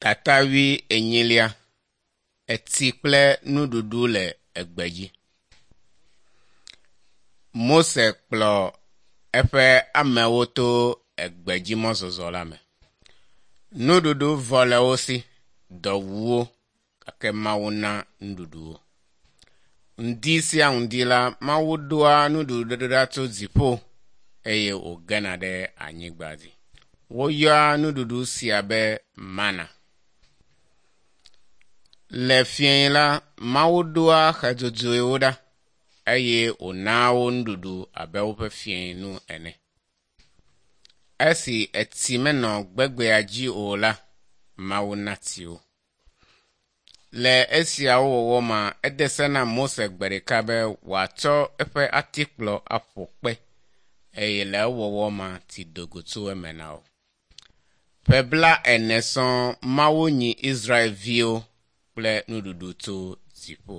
Tata wui enyilia, etsi kple nuɖuɖu le egbe dzi. Mose kplɔ eƒe amewo to egbedzimɔzɔzɔ la me. Nuɖuɖu vɔ le wo si, dɔ wu wo gake Mawu na nuɖuɖu wo. Ŋdi sia ŋdi la, Mawu ɖoa nuɖuɖu ɖa tso dziƒo eye wògena ɖe anyigba dzi. Woyɔa nuɖuɖu sia be mana. Le fiẽ la, Mawu ɖoa xe dzodzoewo ɖa eye wònaa wo nuɖuɖu abe woƒe fiẽnu ene. Esi etsi menɔ gbegbea dzi o la, Mawu na tsi wo. Le esiawo wɔwɔ ma, ede se na Mose gbe ɖeka be wòatsɔ eƒe atikplɔ aƒo kpe eye le ewɔwɔ ma, tsi do go tso eme na wo. Ƒe bla ene sɔŋ Mawu nyi Israelviwo kple nuɖuɖu tso dziƒo.